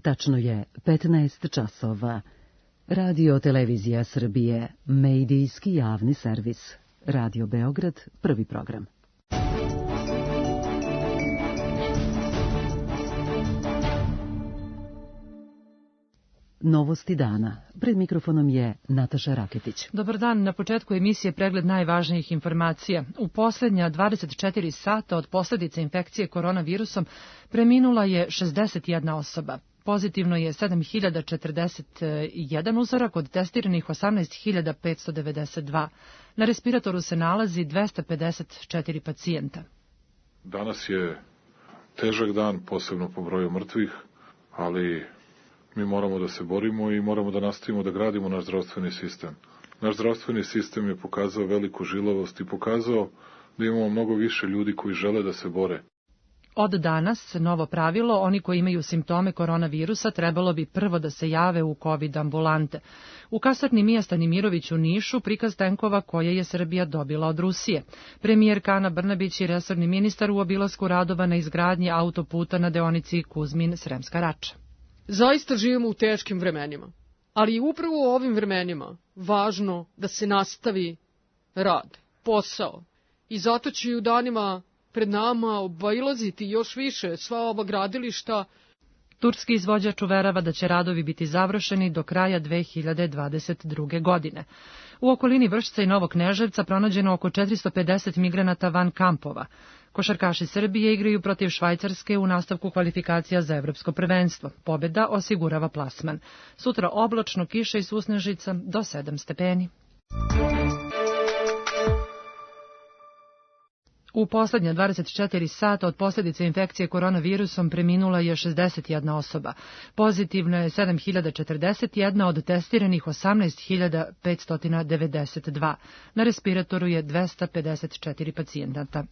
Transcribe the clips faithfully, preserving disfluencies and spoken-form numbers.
Tačno je petnaest časova. Radio Televizija Srbije, medijski javni servis. Radio Beograd, prvi program. Novosti dana. Pred mikrofonom je Nataša Raketić. Dobar dan. Na početku emisije pregled najvažnijih informacija. U posljednja dvadeset četiri sata od posljedice infekcije koronavirusom preminula je šezdeset jedna osoba. Pozitivno je sedam hiljada četrdeset jedan uzorak, od testiranih osamnaest hiljada petsto devedeset dva. Na respiratoru se nalazi dvesta pedeset četiri pacijenta. Danas je težak dan, posebno po broju mrtvih, ali mi moramo da se borimo i moramo da nastavimo da gradimo naš zdravstveni sistem. Naš zdravstveni sistem je pokazao veliku žilavost i pokazao da imamo mnogo više ljudi koji žele da se bore. Od danas, novo pravilo, oni koji imaju simptome koronavirusa trebalo bi prvo da se jave u COVID ambulante. U kasarni Mija Stanimirović u Nišu prikaz tenkova koje je Srbija dobila od Rusije. Premijerka Ana Brnabić i resorni ministar u obilasku radova na izgradnji autoputa na deonici Kuzmin-Sremska Rača. Zaista živimo u teškim vremenima, ali upravo u ovim vremenima važno da se nastavi rad, posao. I zato će i u danima pred nama obilaziti još više sva ova gradilišta. Turski izvođač uverava da će radovi biti završeni do kraja dve hiljade dvadeset druge. godine. U okolini Vršca i Novog Kneževca pronađeno oko četiristo pedeset migranata van kampova. Košarkaši Srbije igraju protiv Švajcarske u nastavku kvalifikacija za evropsko prvenstvo. Pobjeda osigurava plasman. Sutra oblačno, kiša i susnežica do sedam stepeni. U posljednja dvadeset četiri sata od posljedice infekcije koronavirusom preminula je šezdeset jedna osoba. Pozitivno je sedam hiljada četrdeset jedna, od testiranih osamnaest hiljada petsto devedeset dva. Na respiratoru je dvesta pedeset četiri pacijenta.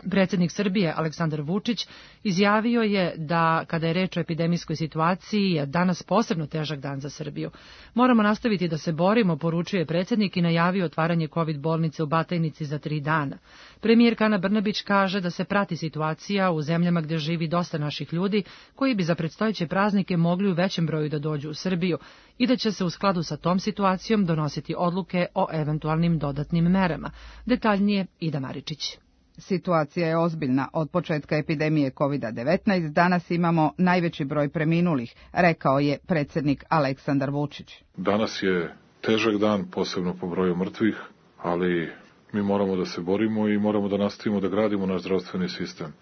Predsjednik Srbije Aleksandar Vučić izjavio je da, kada je reč o epidemijskoj situaciji, je danas posebno težak dan za Srbiju. Moramo nastaviti da se borimo, poručuje predsjednik i najavio otvaranje COVID bolnice u Batajnici za tri dana. Premijerka Ana Brnabić kaže da se prati situacija u zemljama gdje živi dosta naših ljudi, koji bi za predstojeće praznike mogli u većem broju da dođu u Srbiju i da će se u skladu sa tom situacijom donositi odluke o eventualnim dodatnim merama. Detaljnije Ida Maričić. Situacija je ozbiljna. Od početka epidemije kovid devetnaest danas imamo najveći broj preminulih, rekao je predsjednik Aleksandar Vučić. Danas je težak dan, posebno po broju mrtvih, ali mi moramo da se borimo i moramo da nastavimo da gradimo naš zdravstveni sistem.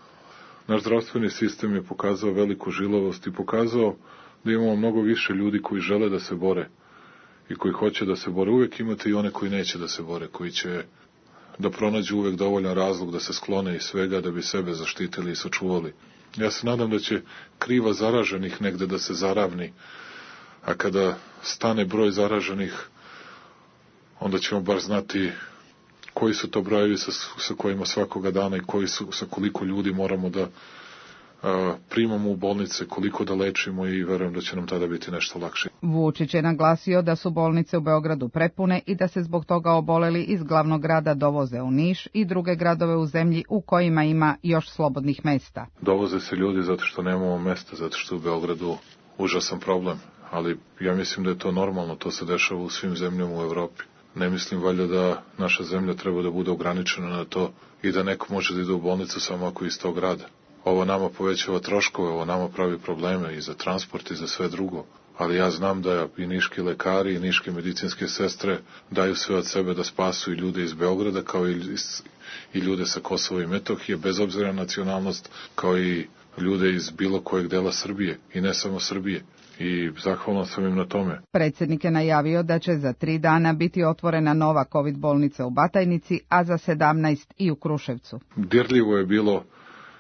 Naš zdravstveni sistem je pokazao veliku žilavost i pokazao da imamo mnogo više ljudi koji žele da se bore i koji hoće da se bore. Uvijek imate i one koji neće da se bore, koji će da pronađu uvek dovoljan razlog da se sklone iz svega, da bi sebe zaštitili i sačuvali. Ja se nadam da će kriva zaraženih negde da se zaravni, a kada stane broj zaraženih, onda ćemo bar znati koji su to brojevi sa, sa kojima svakoga dana i koji su, sa koliko ljudi moramo da a, primamo u bolnice, koliko da lečimo, i verujem da će nam tada biti nešto lakše. Vučić je naglasio da su bolnice u Beogradu prepune i da se zbog toga oboleli iz glavnog grada dovoze u Niš i druge gradove u zemlji u kojima ima još slobodnih mesta. Dovoze se ljudi zato što nemamo mesta, zato što u Beogradu užasan problem, ali ja mislim da je to normalno, to se dešava u svim zemljama u Evropi. Ne mislim valjda da naša zemlja treba da bude ograničena na to i da neko može da ide u bolnicu samo ako je iz tog grada. Ovo nama povećava troškove, ovo nama pravi probleme i za transport i za sve drugo. Ali ja znam da i niški lekari i niške medicinske sestre daju sve od sebe da spasu i ljude iz Beograda, kao i, i ljude sa Kosova i Metohije, bez obzira na nacionalnost, kao i ljude iz bilo kojeg dela Srbije i ne samo Srbije. I zahvalan sam im na tome. Predsjednik je najavio da će za tri dana biti otvorena nova COVID bolnica u Batajnici, a za sedamnaest i u Kruševcu. Dirljivo je bilo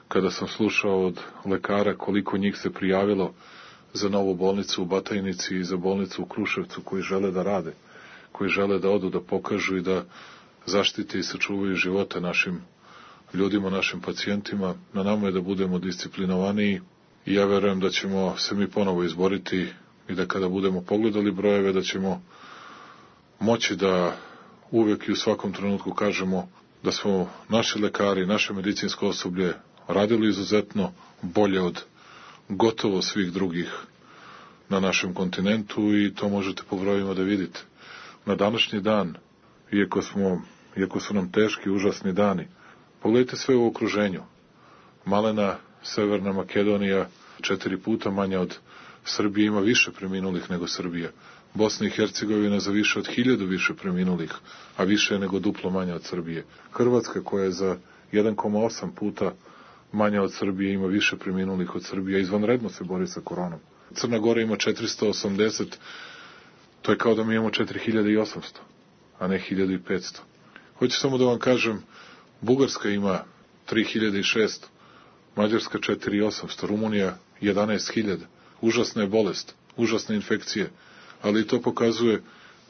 kada sam slušao od lekara koliko njih se prijavilo za novu bolnicu u Batajnici i za bolnicu u Kruševcu, koji žele da rade, koji žele da odu, da pokažu i da zaštite i sačuvaju živote našim ljudima, našim pacijentima. Na nama je da budemo disciplinovaniji i ja verujem da ćemo se mi ponovo izboriti i da kada budemo pogledali brojeve da ćemo moći da uvijek i u svakom trenutku kažemo da smo naši lekari, naše medicinsko osoblje radili izuzetno bolje od gotovo svih drugih na našem kontinentu i to možete po brojima da vidite. Na današnji dan, iako, smo, iako su nam teški, užasni dani, pogledajte sve u okruženju. Malena Severna Makedonija, četiri puta manja od Srbije, ima više preminulih nego Srbija. Bosna i Hercegovina za više od hiljadu više preminulih, a više je nego duplo manja od Srbije. Hrvatska, koja je za jedan zarez osam puta manja od Srbije, ima više preminulih od Srbije, izvanredno se bori sa koronom. Crna Gora ima četiristo osamdeset, to je kao da mi imamo četiri hiljade osamsto, a ne hiljadu petsto. Hoću samo da vam kažem, Bugarska ima tri hiljade šesto, Mađarska četiri hiljade osamsto, Rumunija jedanaest hiljada. Užasna je bolest, užasne infekcije, ali to pokazuje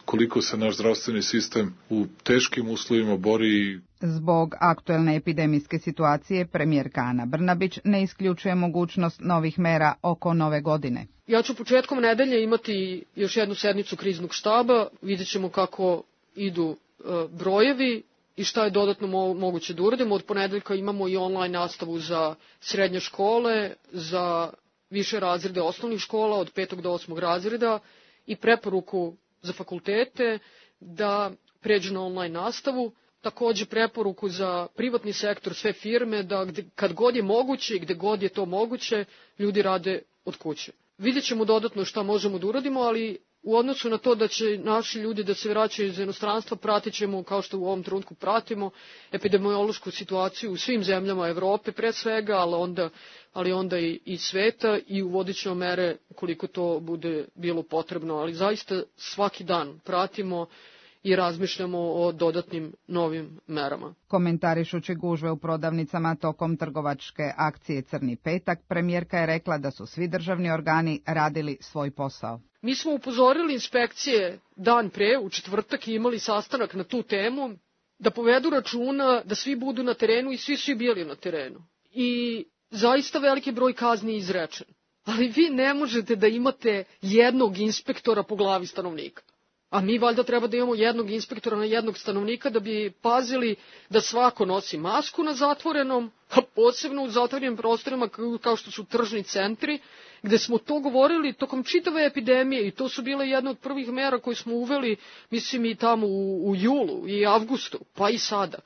koliko se naš zdravstveni sistem u teškim uslovima bori. Zbog aktuelne epidemijske situacije, premijerka Ana Brnabić ne isključuje mogućnost novih mera oko nove godine. Ja ću početkom nedelje imati još jednu sednicu kriznog štaba, vidjet ćemo kako idu e, brojevi i šta je dodatno mo- moguće da uradimo. Od ponedeljka imamo i online nastavu za srednje škole, za više razrede osnovnih škola, od petog do osmog razreda, i preporuku za fakultete da pređu na online nastavu. Takođe preporuku za privatni sektor, sve firme, da gde, kad god je moguće i gde god je to moguće, ljudi rade od kuće. Vidjet ćemo dodatno šta možemo da uradimo, ali u odnosu na to da će naši ljudi da se vraćaju iz inostranstva, pratit ćemo, kao što u ovom trenutku pratimo, epidemiološku situaciju u svim zemljama Evrope pre svega, ali onda, ali onda i, i sveta, i uvodit ćemo mere koliko to bude bilo potrebno. Ali zaista svaki dan pratimo i razmišljamo o dodatnim novim merama. Komentarišući gužve u prodavnicama tokom trgovačke akcije Crni petak, premijerka je rekla da su svi državni organi radili svoj posao. Mi smo upozorili inspekcije dan pre, u četvrtak, i imali sastanak na tu temu, da povedu računa da svi budu na terenu, i svi su i bili na terenu. I zaista veliki broj kazni je izrečen. Ali vi ne možete da imate jednog inspektora po glavi stanovnika. A mi valjda treba da imamo jednog inspektora na jednog stanovnika da bi pazili da svako nosi masku na zatvorenom, a posebno u zatvorenim prostorima kao što su tržni centri, gde smo to govorili tokom čitave epidemije, i to su bile jedne od prvih mera koje smo uveli, mislim, i tamo u, u julu i avgustu, pa i sada.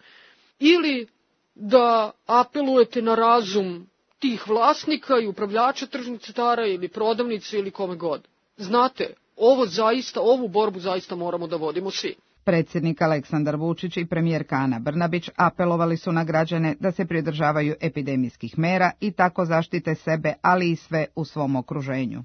Ili da apelujete na razum tih vlasnika i upravljača tržnih centara ili prodavnice ili kome god. Znate, ovo zaista, ovu borbu zaista moramo da vodimo svi. Predsjednik Aleksandar Vučić i premijerka Ana Brnabić apelovali su na građane da se pridržavaju epidemijskih mera i tako zaštite sebe, ali i sve u svom okruženju.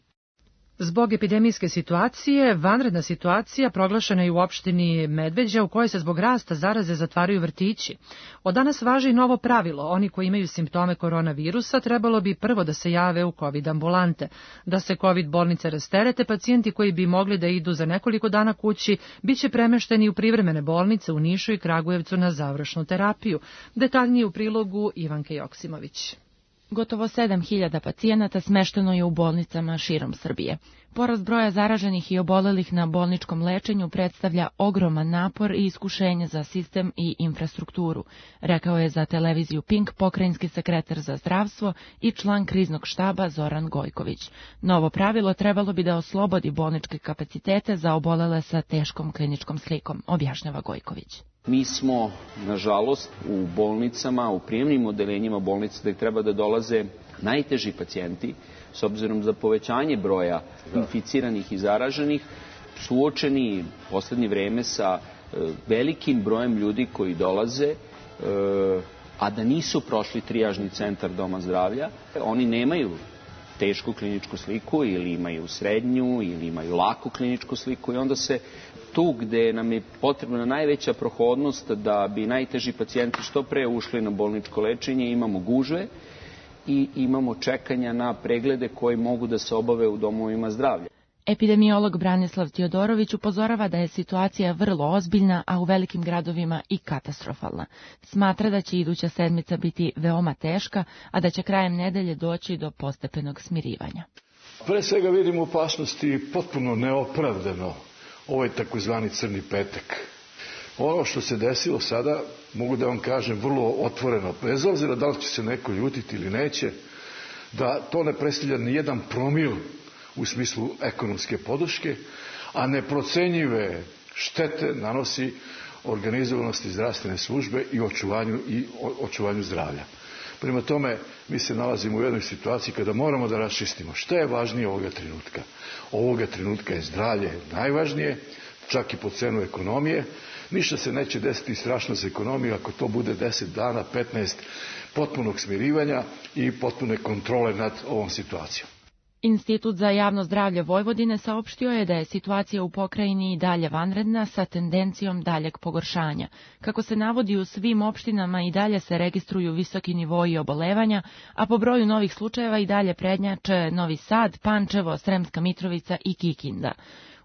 Zbog epidemijske situacije, vanredna situacija proglašena je u opštini Medveđa, u kojoj se zbog rasta zaraze zatvaraju vrtići. Od danas važi novo pravilo. Oni koji imaju simptome koronavirusa trebalo bi prvo da se jave u COVID ambulante. Da se COVID bolnice rasterete, pacijenti koji bi mogli da idu za nekoliko dana kući biće premešteni u privremene bolnice u Nišu i Kragujevcu na završnu terapiju. Detaljnije u prilogu Ivanke Joksimović. Gotovo sedam hiljada pacijenata smešteno je u bolnicama širom Srbije. Porast broja zaraženih i obolelih na bolničkom lečenju predstavlja ogroman napor i iskušenje za sistem i infrastrukturu, rekao je za televiziju Pink pokrajinski sekretar za zdravstvo i član kriznog štaba Zoran Gojković. Novo pravilo trebalo bi da oslobodi bolničke kapacitete za obolele sa teškom kliničkom slikom, objašnjava Gojković. Mi smo, nažalost, u bolnicama, u prijemnim odeljenjima bolnica gde treba da dolaze najteži pacijenti, s obzirom za povećanje broja inficiranih i zaraženih, suočeni u poslednje vreme sa velikim brojem ljudi koji dolaze, a da nisu prošli trijažni centar doma zdravlja. Oni nemaju tešku kliničku sliku ili imaju srednju ili imaju laku kliničku sliku i onda se tu gde nam je potrebna najveća prohodnost da bi najteži pacijenti što pre ušli na bolničko lečenje, imamo gužve i imamo čekanja na preglede koji mogu da se obave u domovima zdravlja. Epidemiolog Branislav Tijodorović upozorava da je situacija vrlo ozbiljna, a u velikim gradovima i katastrofalna. Smatra da će iduća sedmica biti veoma teška, a da će krajem nedelje doći do postepenog smirivanja. Pre svega vidimo opasnosti potpuno neopravdano ovaj takozvani crni petak. Ono što se desilo sada, mogu da vam kažem vrlo otvoreno, bez obzira da li će se neko ljutiti ili neće, da to ne predstavlja ni jedan promil u smislu ekonomske podrške, a neprocenjive štete nanosi organizovanosti zdravstvene službe i očuvanju, i očuvanju zdravlja. Prema tome, mi se nalazimo u jednoj situaciji kada moramo da raščistimo šta je važnije ovoga trenutka. Ovoga trenutka je zdravlje najvažnije, čak i po cenu ekonomije. Ništa se neće desiti strašno za ekonomiju ako to bude deset dana, petnaest potpunog smirivanja i potpune kontrole nad ovom situacijom. Institut za javno zdravlje Vojvodine saopštio je da je situacija u pokrajini i dalje vanredna sa tendencijom daljeg pogoršanja. Kako se navodi, u svim opštinama i dalje se registruju visoki nivoi obolevanja, a po broju novih slučajeva i dalje prednjače Novi Sad, Pančevo, Sremska Mitrovica i Kikinda.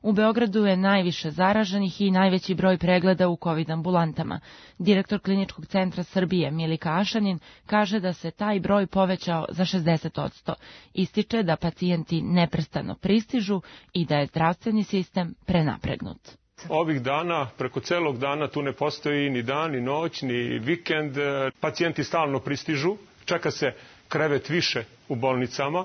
U Beogradu je najviše zaraženih i najveći broj pregleda u kovid ambulantama. Direktor Kliničkog centra Srbije Milika Ašanin kaže da se taj broj povećao za šezdeset posto. Ističe da pacijenti neprestano pristižu i da je zdravstveni sistem prenapregnut. Ovih dana, preko celog dana, tu ne postoji ni dan, ni noć, ni vikend. Pacijenti stalno pristižu, čeka se krevet više u bolnicama.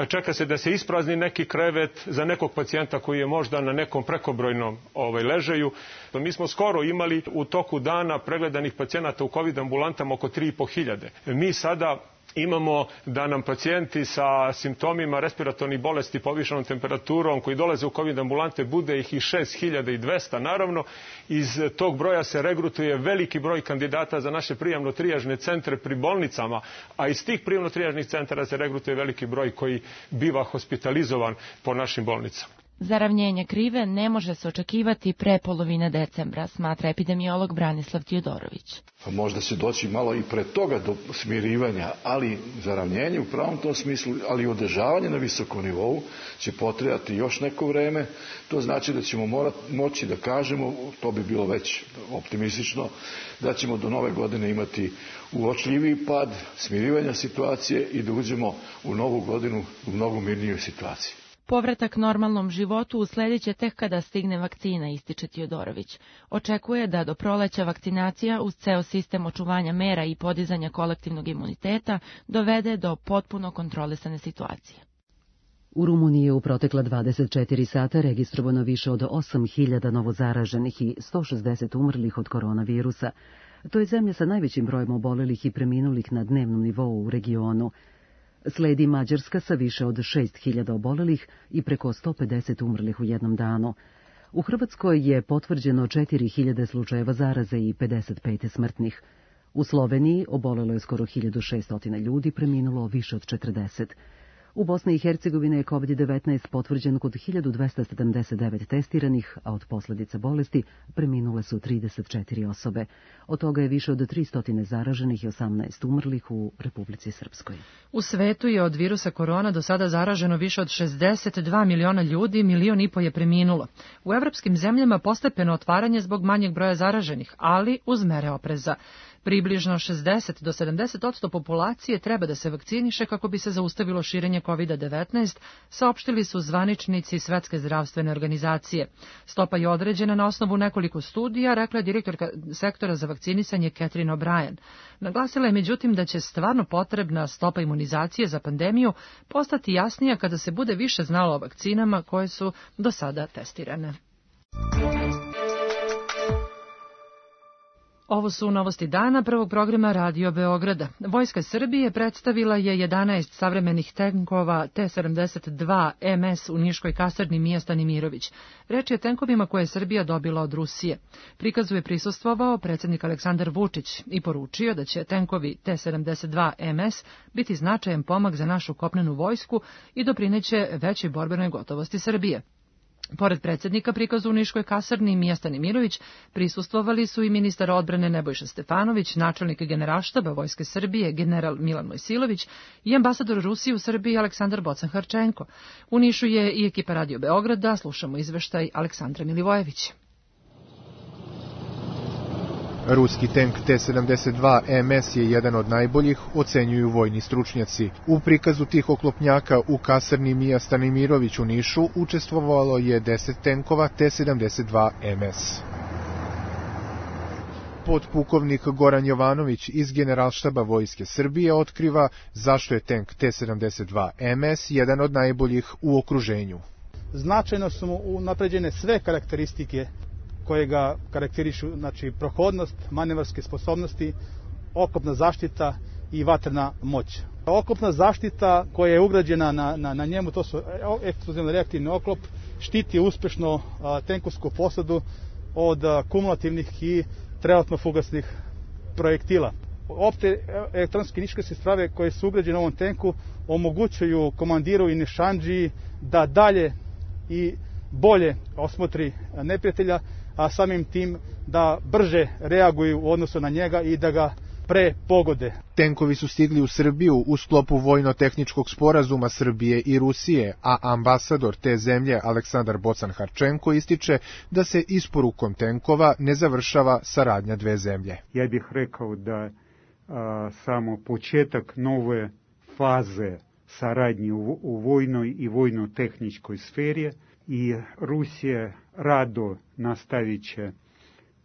Čeka se da se isprazni neki krevet za nekog pacijenta koji je možda na nekom prekobrojnom ovaj, ležaju. Mi smo skoro imali u toku dana pregledanih pacijenata u kovid ambulantama oko tri i po hiljade. Mi sada imamo da nam pacijenti sa simptomima respiratornih bolesti, povišenom temperaturom, koji dolaze u kovid ambulante, bude ih i šest hiljada dvesta. Naravno, iz tog broja se regrutuje veliki broj kandidata za naše prijemno-trijažne centre pri bolnicama, a iz tih prijemno-trijažnih centara se regrutuje veliki broj koji biva hospitalizovan po našim bolnicama. Zaravnjenje krive ne može se očekivati pre polovine decembra, smatra epidemiolog Branislav Tijodorović. Možda se doći malo i pre toga do smirivanja, ali zaravnjenje u pravom tom smislu, ali i održavanje na visokom nivou će potrebati još neko vreme. To znači da ćemo morati, moći da kažemo, to bi bilo već optimistično, da ćemo do nove godine imati uočljiviji pad, smirivanja situacije i da uđemo u novu godinu u mnogo mirnijoj situaciji. Povratak normalnom životu usledit će tek kada stigne vakcina, ističe Tijodorović. Očekuje da do proleća vakcinacija uz ceo sistem očuvanja mera i podizanja kolektivnog imuniteta dovede do potpuno kontrolisane situacije. U Rumuniji je u protekla dvadeset četiri sata registrovano više od osam hiljada novozaraženih i sto šezdeset umrlih od koronavirusa. To je zemlja sa najvećim brojem obolelih i preminulih na dnevnom nivou u regionu. Sledi Mađarska sa više od šest hiljada obolelih i preko sto pedeset umrlih u jednom danu. U Hrvatskoj je potvrđeno četiri hiljade slučajeva zaraze i pedeset pet smrtnih. U Sloveniji obolelo je skoro hiljadu šesto ljudi, preminulo više od četrdeset. U Bosni i Hercegovini je kovid devetnaest potvrđen kod hiljadu dvesta sedamdeset devet testiranih, a od posljedica bolesti preminule su trideset četiri osobe. Od toga je više od tristo zaraženih i osamnaest umrlih u Republici Srpskoj. U svetu je od virusa korona do sada zaraženo više od šezdeset dva miliona ljudi, milion i po je preminulo. U evropskim zemljama postepeno otvaranje zbog manjeg broja zaraženih, ali uz mere opreza. Približno šezdeset do sedamdeset posto populacije treba da se vakciniše kako bi se zaustavilo širenje kovid devetnaest, saopštili su zvaničnici Svetske zdravstvene organizacije. Stopa je određena na osnovu nekoliko studija, rekla je direktorka sektora za vakcinisanje Catherine O'Brien. Naglasila je međutim da će stvarno potrebna stopa imunizacije za pandemiju postati jasnija kada se bude više znalo o vakcinama koje su do sada testirane. Ovo su novosti dana prvog programa Radio Beograda. Vojska Srbije predstavila je jedanaest savremenih tenkova T sedamdeset dva M S u Niškoj kasarni Mija Stanimirović. Reč je o tenkovima koje je Srbija dobila od Rusije. Prikazu je prisustvovao predsjednik Aleksandar Vučić i poručio da će tenkovi T sedamdeset dva M S biti značajan pomak za našu kopnenu vojsku i doprineće većoj borbenoj gotovosti Srbije. Pored predsjednika prikazu u Niškoj kasarni Mija Stanimirović prisustvovali su i ministar odbrane Nebojša Stefanović, načelnik Generalštaba Vojske Srbije general Milan Mojsilović i ambasador Rusije u Srbiji Aleksandar Bocan-Harčenko. U Nišu je i ekipa Radio Beograda, slušamo izveštaj Aleksandra Milivojevića. Ruski tank T sedamdeset dva M S je jedan od najboljih, ocenjuju vojni stručnjaci. U prikazu tih oklopnjaka u kasarni Mija Stanimirović u Nišu učestvovalo je deset tenkova T sedamdeset dva M S. Podpukovnik Goran Jovanović iz Generalštaba Vojske Srbije otkriva zašto je tank T sedamdeset dva M S jedan od najboljih u okruženju. Značajno su mu unapređene sve karakteristike koje ga karakterišu, znači prohodnost, manevarske sposobnosti, oklopna zaštita i vatrena moć. Oklopna zaštita koja je ugrađena na, na, na njemu, to su eksplozivno reaktivni oklop, štiti uspešno a, tenkovsku posadu od a, kumulativnih i trenutno-fugasnih projektila. Opte elektronske niškarske strave koje su ugrađene u ovom tenku omogućuju komandiru i nišandžiji da dalje i bolje osmotri neprijatelja, a samim tim da brže reaguju u odnosu na njega i da ga pre pogode. Tenkovi su stigli u Srbiju u sklopu vojno-tehničkog sporazuma Srbije i Rusije, a ambasador te zemlje Aleksandar Bocan-Harčenko ističe da se isporukom tenkova ne završava saradnja dve zemlje. Ja bih rekao da a, samo početak nove faze saradnje u, u vojnoj i vojno-tehničkoj sferi i Rusija rado nastavit će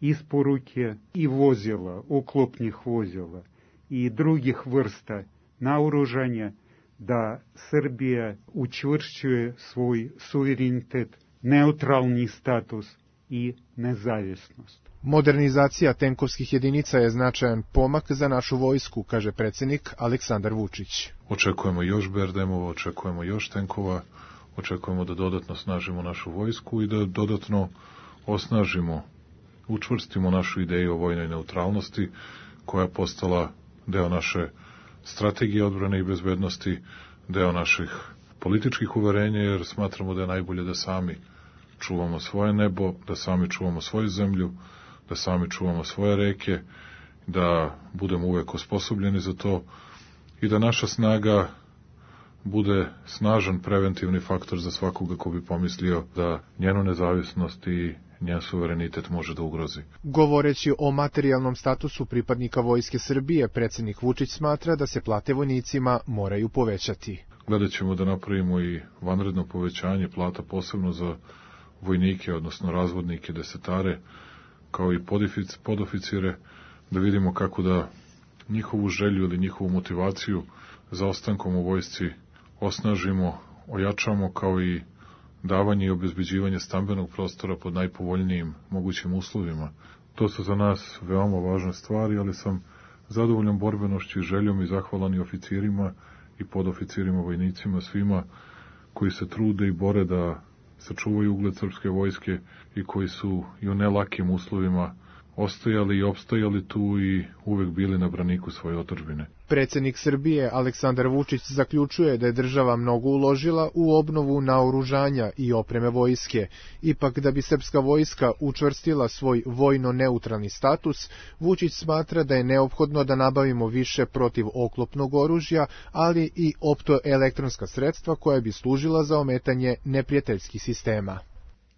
isporuke i vozila, oklopnih vozila i drugih vrsta naoružanja, da Srbija učvršćuje svoj suverenitet, neutralni status i nezavisnost. Modernizacija tenkovskih jedinica je značajan pomak za našu vojsku, kaže predsjednik Aleksandar Vučić. Očekujemo još B R D M-ova, očekujemo još tenkova, očekujemo da dodatno snažimo našu vojsku i da dodatno osnažimo, učvrstimo našu ideju o vojnoj neutralnosti, koja je postala deo naše strategije odbrane i bezbednosti, deo naših političkih uverenja, jer smatramo da je najbolje da sami čuvamo svoje nebo, da sami čuvamo svoju zemlju, da sami čuvamo svoje reke, da budemo uvek osposobljeni za to i da naša snaga bude snažan preventivni faktor za svakoga ko bi pomislio da njenu nezavisnost i njen suverenitet može da ugrozi. Govoreći o materijalnom statusu pripadnika Vojske Srbije, predsjednik Vučić smatra da se plate vojnicima moraju povećati. Gledat ćemo da napravimo i vanredno povećanje plata posebno za vojnike, odnosno razvodnike, desetare, kao i podoficire, da vidimo kako da njihovu želju ili njihovu motivaciju za ostankom u vojsci osnažimo, ojačamo, kao i davanje i obezbeđivanje stambenog prostora pod najpovoljnijim mogućim uslovima. To su za nas veoma važne stvari, ali sam zadovoljan borbenošću i željom i zahvalan i oficirima i podoficirima, vojnicima, svima koji se trude i bore da sačuvaju ugled srpske vojske i koji su i u nelakim uslovima ostajali i opstajali tu i uvek bili na braniku svoje otadžbine. Predsjednik Srbije Aleksandar Vučić zaključuje da je država mnogo uložila u obnovu naoružanja i opreme vojske. Ipak da bi srpska vojska učvrstila svoj vojno-neutralni status, Vučić smatra da je neophodno da nabavimo više protivoklopnog oružja, ali i optoelektronska sredstva koja bi služila za ometanje neprijateljskih sistema.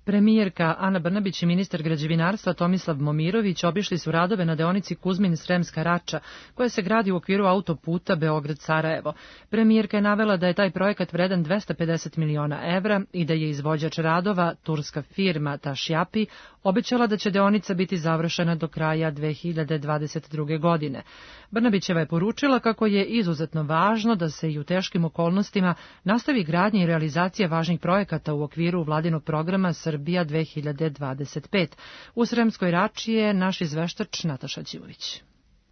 Premijerka Ana Brnabić i ministar građevinarstva Tomislav Momirović obišli su radove na deonici Kuzmin-Sremska Rača, koja se gradi u okviru autoputa Beograd-Sarajevo. Premijerka je navela da je taj projekat vredan dvesta pedeset miliona evra i da je izvođač radova, turska firma Tašjapi, obećala da će deonica biti završena do kraja dve hiljade dvadeset druge. godine. Brnabićeva je poručila kako je izuzetno važno da se i u teškim okolnostima nastavi gradnja i realizacija važnih projekata u okviru vladinog programa Srbija dve hiljade dvadeset pet. U Sremskoj Rači je naš izveštač Nataša Ćivović.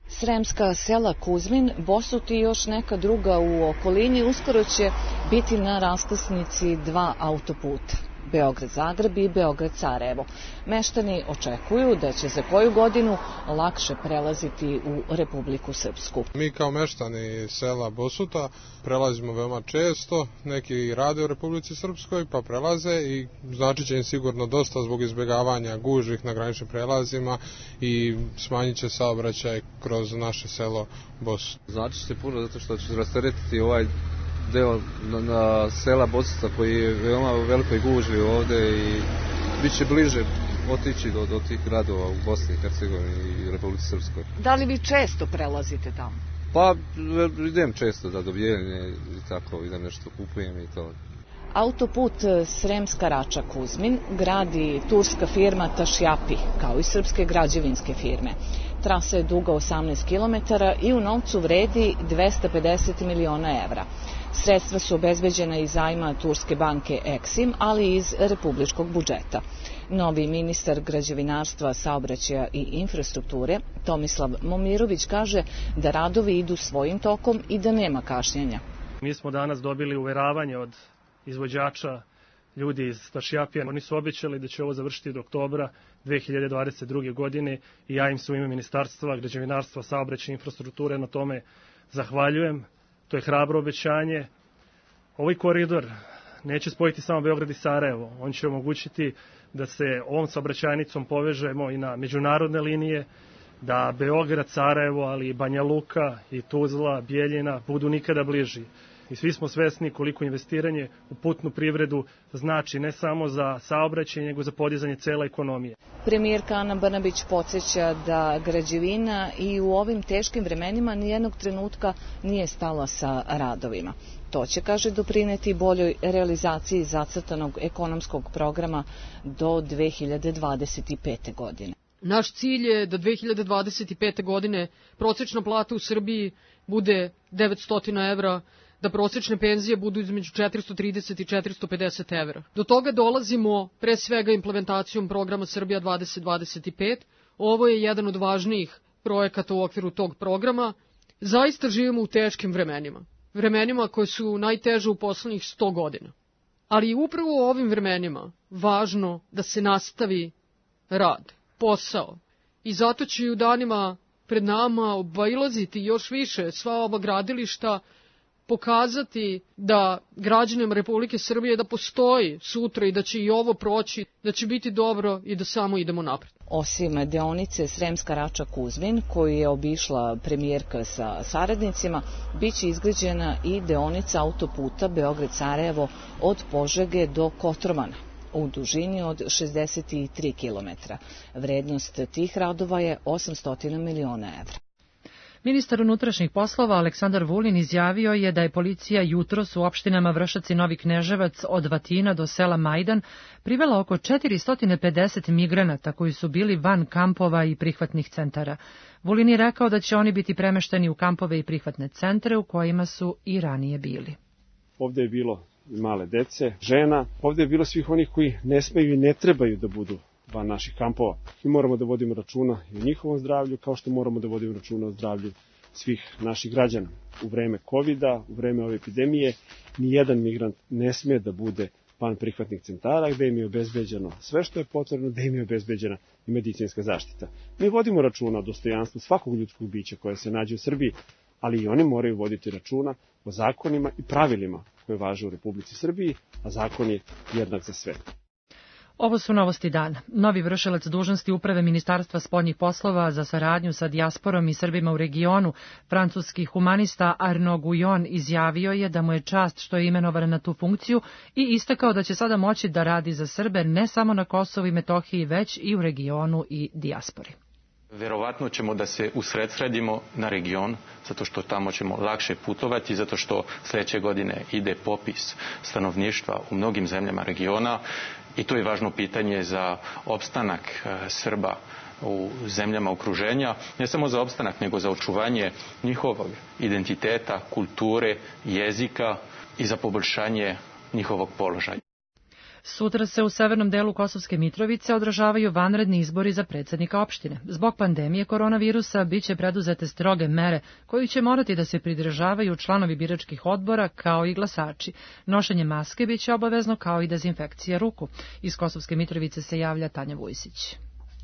Sremska sela Kuzmin, Bosut i još neka druga u okolini uskoro će biti na raskrsnici dva autoputa. Beograd-Zagreb i Beograd-Sarajevo. Meštani očekuju da će za koju godinu lakše prelaziti u Republiku Srpsku. Mi kao meštani sela Bosuta prelazimo veoma često, neki rade u Republici Srpskoj pa prelaze i znači će im sigurno dosta zbog izbjegavanja gužvih na graničnim prelazima i smanjit će saobraćaj kroz naše selo Bosut. Znači će puno zato što će rasteretiti ovaj deo na, na sela Bosica koji je veoma u velikoj gužvi ovde i bit će bliže otići do, do tih gradova u Bosni i Hercegovini i Republici Srpskoj. Da li vi često prelazite tamo? Pa idem često da do Bijeljine i tako, idem nešto kupujem i to. Autoput Sremska Rača Kuzmin gradi turska firma Tašjapi, kao i srpske građevinske firme. Trasa je duga osamnaest kilometara i u novcu vredi dvesta pedeset miliona evra. Sredstva su obezbeđena iz zajma turske banke Eksim, ali i iz republičkog budžeta. Novi ministar građevinarstva, saobraćaja i infrastrukture, Tomislav Momirović, kaže da radovi idu svojim tokom i da nema kašnjenja. Mi smo danas dobili uveravanje od izvođača, ljudi iz Tašijapija. Oni su obećali da će ovo završiti do oktobra dve hiljade dvadeset druge. godine i ja im se u ime Ministarstva građevinarstva, saobraćaja i infrastrukture na tome zahvaljujem. To je hrabro obećanje. Ovaj koridor neće spojiti samo Beograd i Sarajevo. On će omogućiti da se ovom saobraćajnicom povežemo i na međunarodne linije, da Beograd, Sarajevo, ali i Banja Luka i Tuzla, Bijeljina budu nikada bliži. I svi smo svesni koliko investiranje u putnu privredu znači ne samo za saobraćaj, nego za podizanje cele ekonomije. Premijerka Ana Brnabić podsjeća da građevina i u ovim teškim vremenima nijednog trenutka nije stala sa radovima. To će, kaže, doprineti boljoj realizaciji zacrtanog ekonomskog programa do dve hiljade dvadeset pete. godine. Naš cilj je da dve hiljade dvadeset pete. godine prosečna plata u Srbiji bude devetsto evra, da prosečne penzije budu između četiristo trideset i četiristo pedeset evra. Do toga dolazimo pre svega implementacijom programa Srbija dvadeset dvadeset pet. Ovo je jedan od važnijih projekata u okviru tog programa. Zaista živimo u teškim vremenima. Vremenima koje su najteže u poslednjih sto godina. Ali je upravo u ovim vremenima važno da se nastavi rad, posao. I zato će i u danima pred nama obilaziti još više sva ova gradilišta, pokazati da građanima Republike Srbije da postoji sutra i da će i ovo proći, da će biti dobro i da samo idemo napred. Osim deonice Sremska Rača-Kuzmin, koju je obišla premijerka sa saradnicima, bit će izgrađena i deonica autoputa Beograd-Sarajevo od Požege do Kotromana u dužini od šezdeset tri kilometra. Vrednost tih radova je osamsto miliona evra. Ministar unutrašnjih poslova Aleksandar Vulin izjavio je da je policija jutros u opštinama Vršac i Novi Kneževac od Vatina do sela Majdan privela oko četiristo pedeset migranata koji su bili van kampova i prihvatnih centara. Vulin je rekao da će oni biti premešteni u kampove i prihvatne centre u kojima su i ranije bili. Ovde je bilo male dece, žena, ovde je bilo svih onih koji ne smeju i ne trebaju da budu van naših kampova. Mi moramo da vodimo računa i o njihovom zdravlju, kao što moramo da vodimo računa o zdravlju svih naših građana. U vreme kovida, u vreme ove epidemije, nijedan migrant ne sme da bude van prihvatnih centara, gde im je obezbeđeno sve što je potrebno, gde im je obezbeđena i medicinska zaštita. Mi vodimo računa o dostojanstvu svakog ljudskog bića koje se nađe u Srbiji, ali i oni moraju voditi računa o zakonima i pravilima koje važe u Republici Srbiji, a zakon je jednak za sve. Ovo su novosti dana. Novi vršilac dužnosti uprave Ministarstva spoljnih poslova za saradnju sa dijasporom i Srbima u regionu, francuski humanista Arnaud Guyon, izjavio je da mu je čast što je imenovan na tu funkciju i istakao da će sada moći da radi za Srbe ne samo na Kosovu i Metohiji, već i u regionu i dijaspori. Verovatno ćemo da se usredsredimo na region, zato što tamo ćemo lakše putovati, zato što sledeće godine ide popis stanovništva u mnogim zemljama regiona i to je važno pitanje za opstanak Srba u zemljama okruženja, ne samo za opstanak, nego za očuvanje njihovog identiteta, kulture, jezika i za poboljšanje njihovog položaja. Sutra se u severnom delu Kosovske Mitrovice održavaju vanredni izbori za predsjednika opštine. Zbog pandemije koronavirusa biće preduzete stroge mere koji će morati da se pridržavaju članovi biračkih odbora kao i glasači. Nošenje maske biće obavezno kao i dezinfekcija ruku. Iz Kosovske Mitrovice se javlja Tanja Vujsić.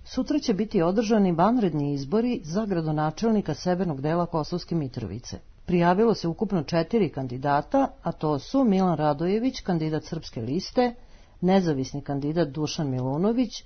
Sutra će biti održani vanredni izbori za gradonačelnika severnog dela Kosovske Mitrovice. Prijavilo se ukupno četiri kandidata, a to su Milan Radojević, kandidat Srpske liste, nezavisni kandidat Dušan Milunović,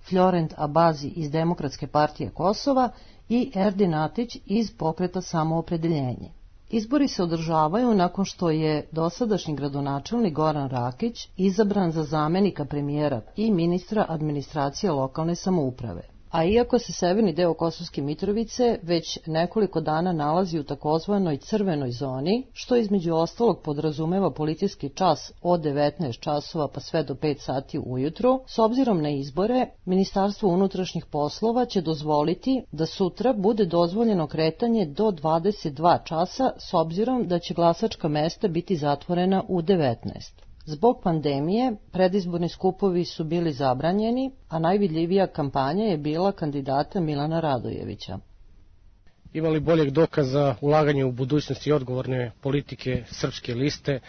Florent Abazi iz Demokratske partije Kosova i Erdin Atić iz Pokreta Samoopredeljenje. Izbori se održavaju nakon što je dosadašnji gradonačelnik Goran Rakić izabran za zamenika premijera i ministra administracije lokalne samouprave. A iako se severni deo Kosovske Mitrovice već nekoliko dana nalazi u takozvanoj crvenoj zoni, što između ostalog podrazumeva policijski čas od devetnaest časova pa sve do pet sati ujutru, s obzirom na izbore, Ministarstvo unutrašnjih poslova će dozvoliti da sutra bude dozvoljeno kretanje do dvadeset dva časa, s obzirom da će glasačka mesta biti zatvorena u devetnaest. Zbog pandemije, predizborni skupovi su bili zabranjeni, a najvidljivija kampanja je bila kandidata Milana Radojevića. Ima li boljeg dokaza ulaganja u budućnost i odgovorne politike Srpske liste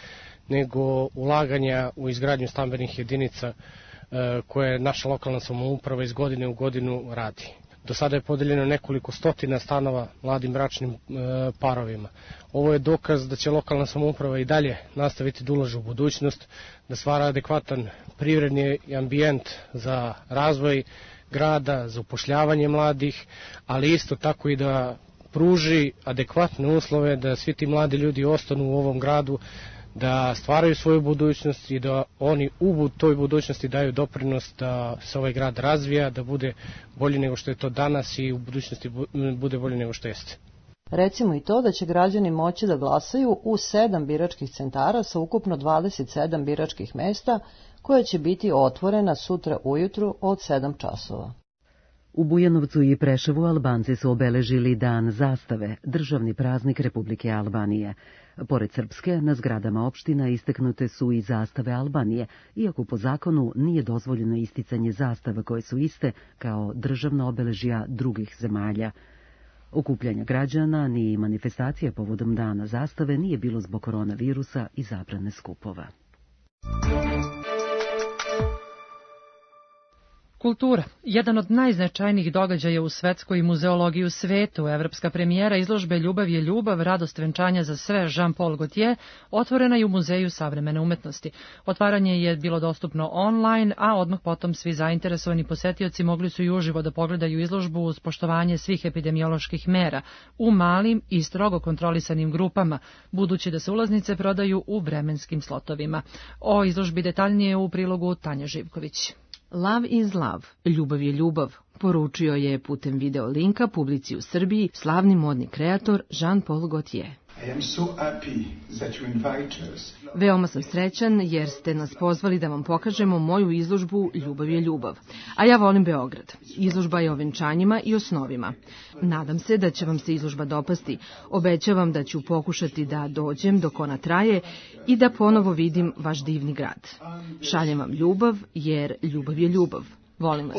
nego ulaganja u izgradnju stambenih jedinica koje naša lokalna samouprava iz godine u godinu radi? Do sada je podeljeno nekoliko stotina stanova mladim bračnim e, parovima. Ovo je dokaz da će lokalna samouprava i dalje nastaviti da ulaže u budućnost, da stvara adekvatan privredni ambijent za razvoj grada, za upošljavanje mladih, ali isto tako i da pruži adekvatne uslove da svi ti mladi ljudi ostanu u ovom gradu, da stvaraju svoju budućnost i da oni u toj budućnosti daju doprinos da se ovaj grad razvija, da bude bolji nego što je to danas i u budućnosti bude bolji nego što jeste. Recimo i to da će građani moći da glasaju u sedam biračkih centara sa ukupno dvadeset sedam biračkih mesta, koja će biti otvorena sutra ujutru od sedam časova. U Bujanovcu i Preševu Albanci su obeležili Dan zastave, državni praznik Republike Albanije. Pored srpske, na zgradama opština istaknute su i zastave Albanije, iako po zakonu nije dozvoljeno isticanje zastava koje su iste kao državna obeležja drugih zemalja. Okupljanja građana ni manifestacije povodom Dana zastave nije bilo zbog koronavirusa i zabrane skupova. Kultura. Jedan od najznačajnijih događaja u svetskoj muzeologiji u svetu, evropska premijera izložbe Ljubav je ljubav, radost venčanja za sve Jean-Paul Gaultier, otvorena je u Muzeju savremene umetnosti. Otvaranje je bilo dostupno online, a odmah potom svi zainteresovani posetioci mogli su i uživo da pogledaju izložbu uz poštovanje svih epidemioloških mera u malim i strogo kontrolisanim grupama, budući da se ulaznice prodaju u vremenskim slotovima. O izložbi detaljnije u prilogu Tanja Živković. Love is love, ljubav je ljubav, poručio je putem video linka publici u Srbiji slavni modni kreator Jean-Paul Gaultier. Veoma sam srećan jer ste nas pozvali da vam pokažemo moju izložbu Ljubav je ljubav. A ja volim Beograd. Izložba je o venčanjima i o snovima. Nadam se da će vam se izložba dopasti. Obećavam da ću pokušati da dođem dok ona traje i da ponovo vidim vaš divni grad. Šaljem vam ljubav jer ljubav je ljubav. Volim vas.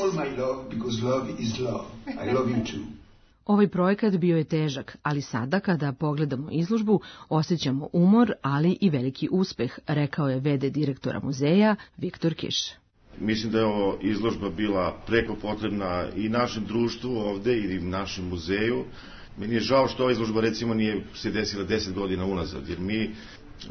Ovaj projekat bio je težak, ali sada kada pogledamo izložbu osjećamo umor, ali i veliki uspeh, rekao je ve de direktora muzeja Viktor Kiš. Mislim da je ovo izložba bila preko potrebna i našem društvu ovde i našem muzeju. Meni je žao što ova izložba recimo nije se desila deset godina unazad, jer mi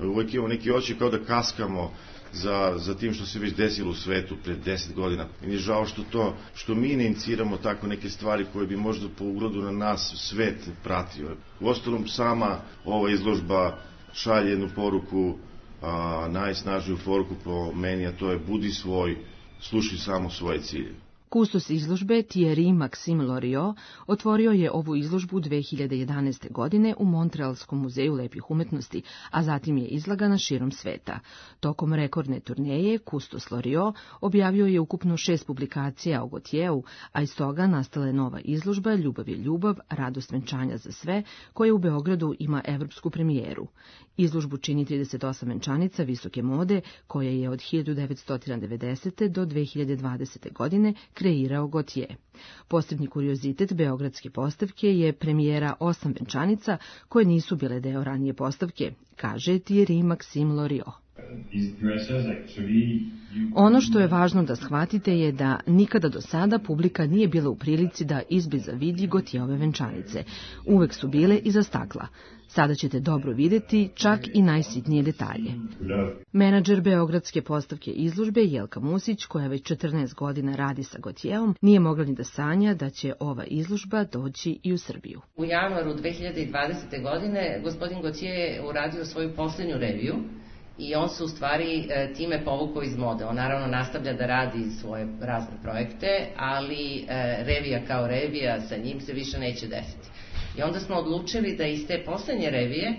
uvijek imamo neki oči kao da kaskamo za, za tim što se već desilo u svetu pred deset godina. Meni je žao što to, što mi ne iniciramo tako neke stvari koje bi možda po ugledu na nas svet pratio. Uostalom, sama ova izložba šalje jednu poruku, a, najsnažniju poruku po meni, a to je budi svoj, slušaj samo svoje cilje. Kustos izložbe Thierry Maxime Loriot otvorio je ovu izložbu dve hiljade jedanaeste. godine u Montrealskom muzeju lepih umetnosti, a zatim je izlagana širom sveta. Tokom rekordne turneje Kustos Loriot objavio je ukupno šest publikacija o Gaultieru, a iz toga nastala je nova izložba Ljubav je ljubav, radost venčanja za sve, koja u Beogradu ima evropsku premijeru. Izložbu čini trideset osam venčanica visoke mode, koja je od hiljadu devetsto devedesete. do dve hiljade dvadesete. godine kreirao Gaultier. Posebni kuriozitet beogradske postavke je premijera osam venčanica koje nisu bile deo ranije postavke, kaže Thierry Maxime Loriot. Ono što je važno da shvatite je da nikada do sada publika nije bila u prilici da izbliza vidi Gaultierove venčanice. Uvek su bile iza stakla. Sada ćete dobro videti čak i najsitnije detalje. Menadžer beogradske postavke izložbe Jelka Musić, koja već četrnaest godina radi sa Gaultierom, nije mogla ni da sanja da će ova izložba doći i u Srbiju. U januaru dve hiljade dvadesete. godine gospodin Gaultier je uradio svoju posljednju reviju i on se u stvari time povukao iz mode. On naravno nastavlja da radi svoje razne projekte, ali revija kao revija sa njim se više neće desiti. I onda smo odlučili da iz te poslednje revije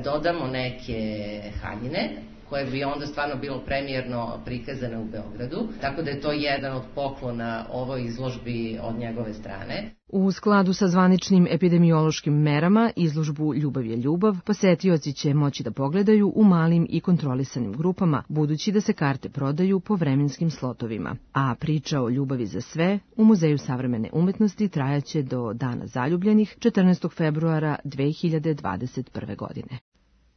dodamo neke haljine, koje bi onda stvarno bilo premijerno prikazane u Beogradu, tako da je to jedan od poklona ovoj izložbi od njegove strane. U skladu sa zvaničnim epidemiološkim merama, izložbu Ljubav je ljubav posetioci će moći da pogledaju u malim i kontrolisanim grupama, budući da se karte prodaju po vremenskim slotovima. A priča o ljubavi za sve u Muzeju savremene umetnosti trajaće do Dana zaljubljenih četrnaestog februara dve hiljade dvadeset prve. godine.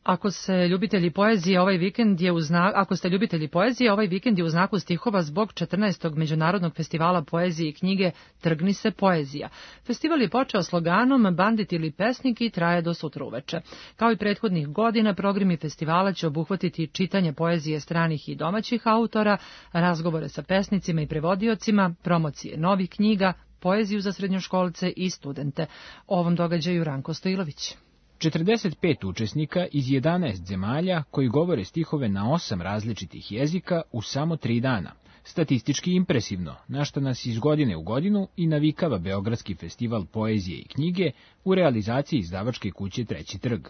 Ako se ljubitelji poezije ovaj vikend je u znak, ako ste ljubitelji poezije, ovaj vikend je u znaku stihova zbog četrnaestog Međunarodnog festivala poezije i knjige Trgni se poezija. Festival je počeo sloganom Bandit ili pesnik i traje do sutra uveče. Kao i prethodnih godina, programi festivala će obuhvatiti čitanje poezije stranih i domaćih autora, razgovore sa pesnicima i prevodiocima, promocije novih knjiga, poeziju za srednjoškolce i studente. O ovom događaju Ranko Stojilović. četrdeset pet učesnika iz jedanaest zemalja koji govore stihove na osam različitih jezika u samo tri dana. Statistički impresivno, na što nas iz godine u godinu i navikava Beogradski festival poezije i knjige u realizaciji izdavačke kuće Treći trg.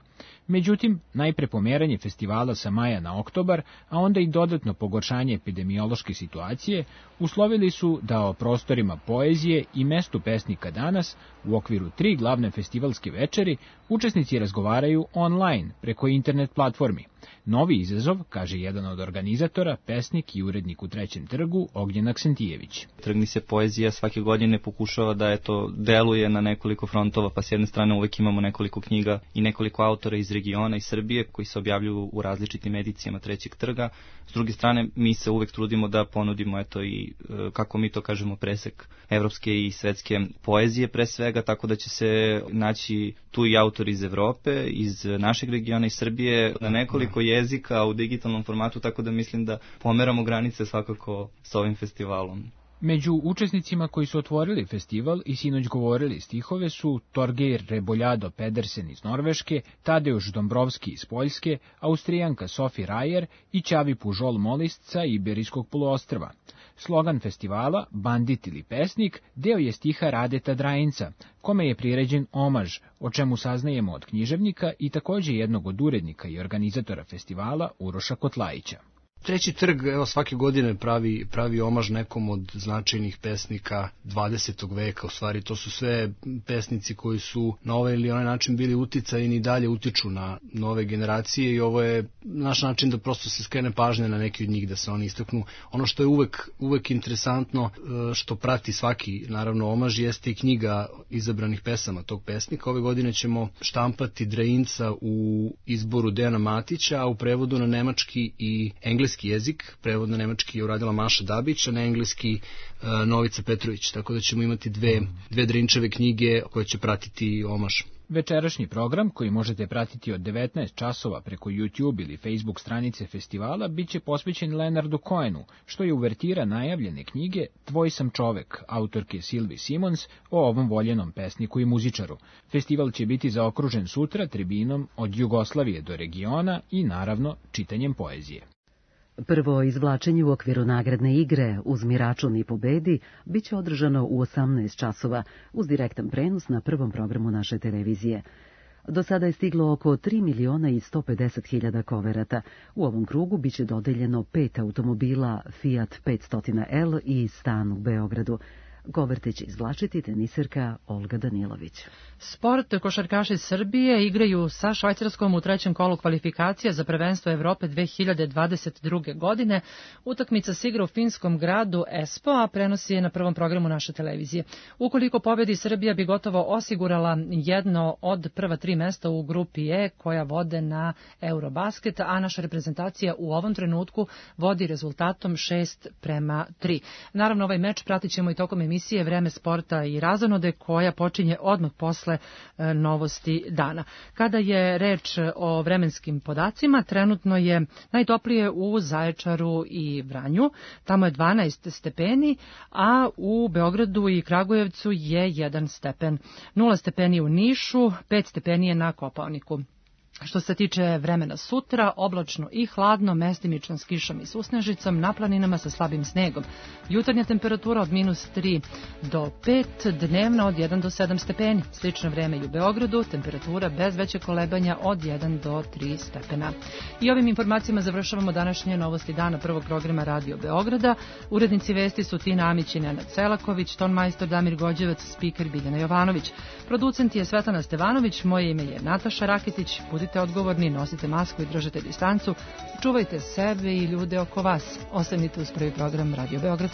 Međutim, najpre pomeranje festivala sa maja na oktobar, a onda i dodatno pogoršanje epidemiološke situacije, uslovili su da o prostorima poezije i mestu pesnika danas, u okviru tri glavne festivalske večeri, učesnici razgovaraju online preko internet platformi. Novi izazov, kaže jedan od organizatora, pesnik i urednik u Trećem trgu, Ognjen Aksentijević. Trgni se poezija svake godine pokušava da eto deluje na nekoliko frontova, pa s jedne strane uvek imamo nekoliko knjiga i nekoliko autora iz regiona i Srbije koji se objavljuju u različitim edicijama Trećeg trga. S druge strane, mi se uvek trudimo da ponudimo eto i, kako mi to kažemo, presek evropske i svetske poezije pre svega, tako da će se naći tu i autori iz Evrope, iz našeg regiona i Srbije, na nekoliko jezika u digitalnom formatu, tako da mislim da pomeramo granice svakako s ovim festivalom. Među učesnicima koji su otvorili festival i sinoć govorili stihove su Torgeir Reboljado Pedersen iz Norveške, Tadeusz Dombrovski iz Poljske, Austrijanka Sophie Rajer i Ćavi Pužol Molist sa Iberijskog poluostrva. Slogan festivala, Bandit ili pesnik, deo je stiha Radeta Drajinca, kome je priređen omaž, o čemu saznajemo od književnika i takođe jednog od urednika i organizatora festivala Uroša Kotlajića. Treći trg, evo, svake godine pravi, pravi omaž nekom od značajnih pesnika dvadesetog veka. U stvari, to su sve pesnici koji su na ovaj ili onaj način bili uticajni i dalje utiču na nove generacije i ovo je naš način da prosto se skrene pažnje na neki od njih, da se oni istaknu. Ono što je uvek, uvek interesantno, što prati svaki, naravno, omaž, jeste i knjiga izabranih pesama tog pesnika. Ove godine ćemo štampati Drajinca u izboru Dejana Matića, a u prevodu na nemački i engleski jezik, prevod na nemački je uradila Maša Dabić, a na engleski uh, Novica Petrović, tako da ćemo imati dve, dve Drinčeve knjige koje će pratiti omaž. Večerašnji program, koji možete pratiti od devetnaest časova preko YouTube ili Facebook stranice festivala, bit će posvećen Leonardu Cohenu, što je uvertira najavljene knjige Tvoj sam čovek, autorke Sylvie Simons, o ovom voljenom pesniku i muzičaru. Festival će biti zaokružen sutra tribinom od Jugoslavije do regiona i, naravno, čitanjem poezije. Prvo izvlačenje u okviru nagradne igre Uzmi račun i pobedi biće održano u osamnaest časova uz direktan prenos na prvom programu naše televizije. Do sada je stiglo oko tri miliona i sto pedeset hiljada koverata. U ovom krugu biće dodeljeno pet automobila Fiat petsto L i stan u Beogradu. Koverte će izvlačiti teniserka Olga Danilović. Sport, košarkaši Srbije igraju sa Švajcarskom u trećem kolu kvalifikacija za prvenstvo Evrope dve hiljade dvadeset druge. godine. Utakmica se igra u finskom gradu Espoo, a prenosi je na prvom programu naše televizije. Ukoliko pobedi, Srbija bi gotovo osigurala jedno od prva tri mesta u grupi E koja vode na Eurobasket, a naša reprezentacija u ovom trenutku vodi rezultatom šest prema tri. Naravno, ovaj meč pratit ćemo i tokom emisije Vreme sporta i razonode koja počinje odmah posle e, novosti dana. Kada je reč o vremenskim podacima, trenutno je najtoplije u Zaječaru i Vranju, tamo je dvanaest stepeni, a u Beogradu i Kragujevcu je jedan stepen. Nula stepeni u Nišu, pet stepeni je na Kopaoniku. Što se tiče vremena sutra, oblačno i hladno, mestimično s kišom i susnežicom, na planinama sa slabim snegom. Jutarnja temperatura od minus tri do pet, dnevna od jedan do sedam stepeni. Slično vreme i u Beogradu, temperatura bez veće kolebanja od jedan do tri stepena. I ovim informacijama završavamo današnje novosti dana prvog programa Radio Beograda. Urednici vesti su Tina Amić i Nenad Selaković, ton majstor Damir Gođevac, spiker Biljana Jovanović. Producent je Svetlana Stevanović, moje ime je Nataša Rakitić. Budite odgovorni, nosite masku i držite distancu. Čuvajte sebe i ljude oko vas. Ostanite uz prvi program Radio Beograd.